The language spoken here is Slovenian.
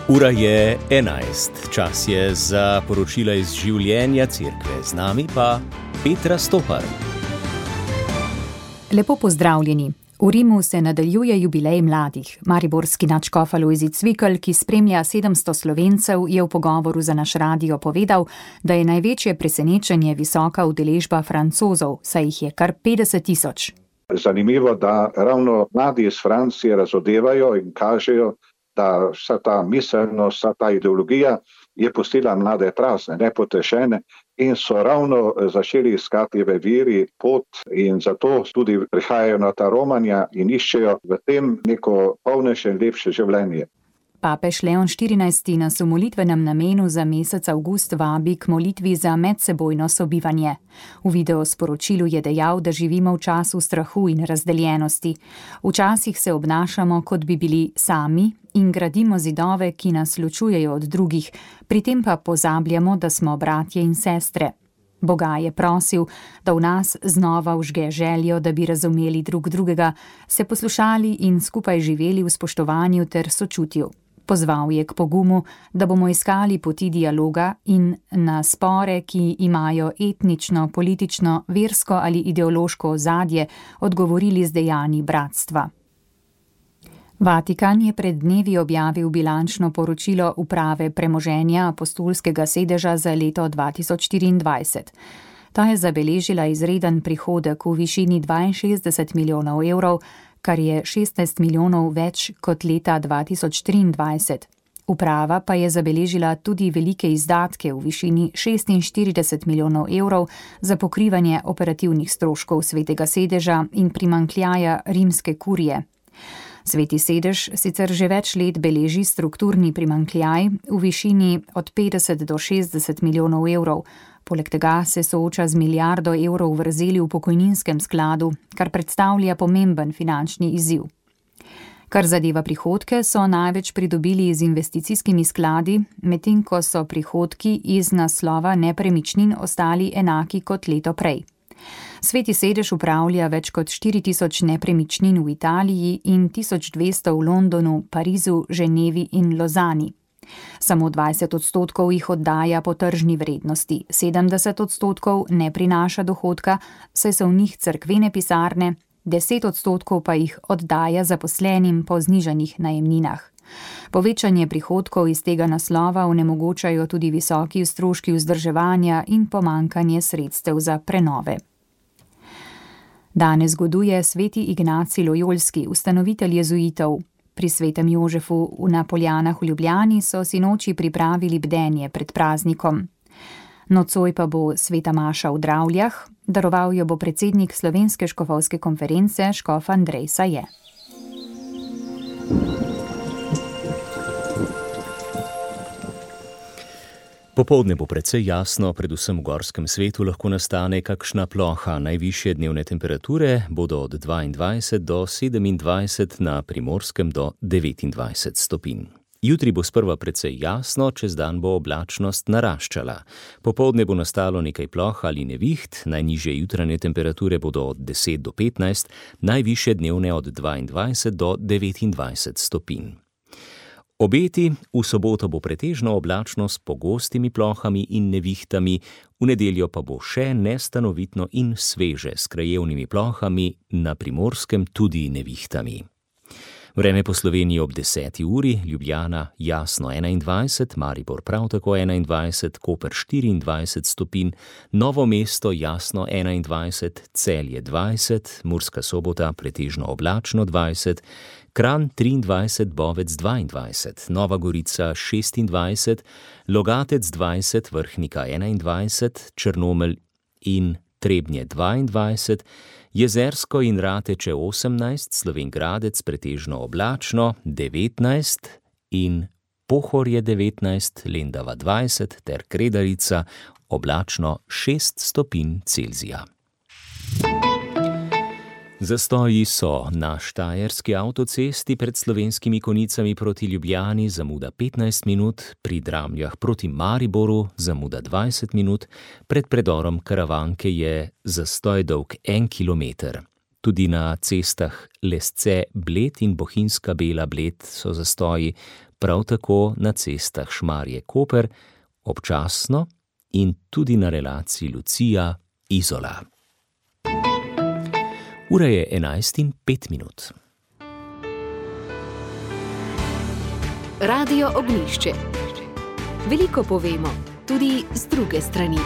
Ura je 11, čas je za poročila iz življenja cerkve, z nami pa Petra Stopar. Lepo pozdravljeni. V Rimu se nadaljuje jubilej mladih. Mariborski nadškof Alojzij Cvikl, ki spremlja 700 Slovencev, je v pogovoru za naš radio povedal, da je največje presenečenje visoka udeležba Francozov, saj jih je kar 50 000. Zanimivo, da ravno mladi iz Francije razodevajo in kažejo, da vsa ta miselnost, vsa ta ideologija je pustila mlade prazne, nepotešene in so ravno začeli iskati v veri pot in zato tudi prihajajo na ta romanja in iščejo v tem neko polnejše in lepše življenje. Papež Leon XIV nas v molitvenem namenu za mesec avgust vabi k molitvi za medsebojno sobivanje. V videosporočilu je dejal, da živimo v času strahu in razdeljenosti. Včasih se obnašamo, kot bi bili sami in gradimo zidove, ki nas ločujejo od drugih, pri tem pa pozabljamo, da smo bratje in sestre. Boga je prosil, da v nas znova vžge željo, da bi razumeli drug drugega, se poslušali in skupaj živeli v spoštovanju ter sočutju. Pozval je k pogumu, da bomo iskali poti dialoga in na spore, ki imajo etnično, politično, versko ali ideološko ozadje, odgovorili z dejanji bratstva. Vatikan je pred dnevi objavil bilančno poročilo uprave premoženja apostolskega sedeža za leto 2024. Ta je zabeležila izreden prihodek v višini 62 milijonov evrov, kar je 16 milijonov več kot leta 2023. Uprava pa je zabeležila tudi velike izdatke v višini 46 milijonov evrov za pokrivanje operativnih stroškov svetega sedeža in primanjkljaja rimske kurije. Sveti sedež sicer že več let beleži strukturni primanjkljaj v višini od 50 do 60 milijonov evrov. Poleg tega se sooča z milijardo evrov vrzeli v pokojninskem skladu, kar predstavlja pomemben finančni izziv. Kar zadeva prihodke, so največ pridobili z investicijskimi skladi, medtem ko so prihodki iz naslova nepremičnin ostali enaki kot leto prej. Sveti sedež upravlja več kot 4000 nepremičnin v Italiji in 1200 v Londonu, Parizu, Ženevi in Lozani. Samo 20% jih oddaja po tržni vrednosti, 70% ne prinaša dohodka, saj so v njih cerkvene pisarne, 10% pa jih oddaja zaposlenim po znižanih najemninah. Povečanje prihodkov iz tega naslova onemogočajo tudi visoki stroški vzdrževanja in pomanjkanje sredstev za prenove. Danes goduje sveti Ignacij Lojolski, ustanovitelj jezuitov. Pri svetem Jožefu na Poljanah v Ljubljani so sinoči pripravili bdenje pred praznikom. Nocoj pa bo sveta maša v Dravljah, daroval jo bo predsednik Slovenske škofovske konference škof Andrej Saje. Popoldne bo precej jasno, predvsem v gorskem svetu lahko nastane kakšna ploha. Najvišje dnevne temperature bodo od 22 do 27, na Primorskem do 29 stopinj. Jutri bo sprva precej jasno, čez dan bo oblačnost naraščala. Popoldne bo nastalo nekaj ploh ali neviht, najnižje jutranje temperature bodo od 10 do 15, najvišje dnevne od 22 do 29 stopinj. Obeti: v soboto bo pretežno oblačno s pogostimi plohami in nevihtami, v nedeljo pa bo še nestanovitno in sveže s krajevnimi plohami, na Primorskem tudi nevihtami. Vreme po Sloveniji ob 10. uri: Ljubljana jasno 21, Maribor prav tako 21, Koper 24 stopinj, Novo mesto jasno 21, Celje 20, Murska Sobota pretežno oblačno 20, Kranj 23, Bovec 22, Nova Gorica 26, Logatec 20, Vrhnika 21, Črnomelj in Trebnje 22, Jezersko in Rateče 18, Slovenj Gradec pretežno oblačno 19 in Pohorje 19, Lendava 20 ter Kredarica oblačno 6 stopinj Celzija. Zastoji so na štajerski avtocesti pred Slovenskimi Konjicami proti Ljubljani, zamuda 15 minut, pri Dramljah proti Mariboru zamuda 20 minut, pred predorom Karavanke je zastoj dolg 1 kilometer. Tudi na cestah Lesce Bled in Bohinjska Bela Bled so zastoji, prav tako na cestah Šmarje-Koper, občasno in tudi na relaciji Lucija-Izola. Ura je 11:05. Radio Ognjišče. Veliko povemo, tudi z druge strani.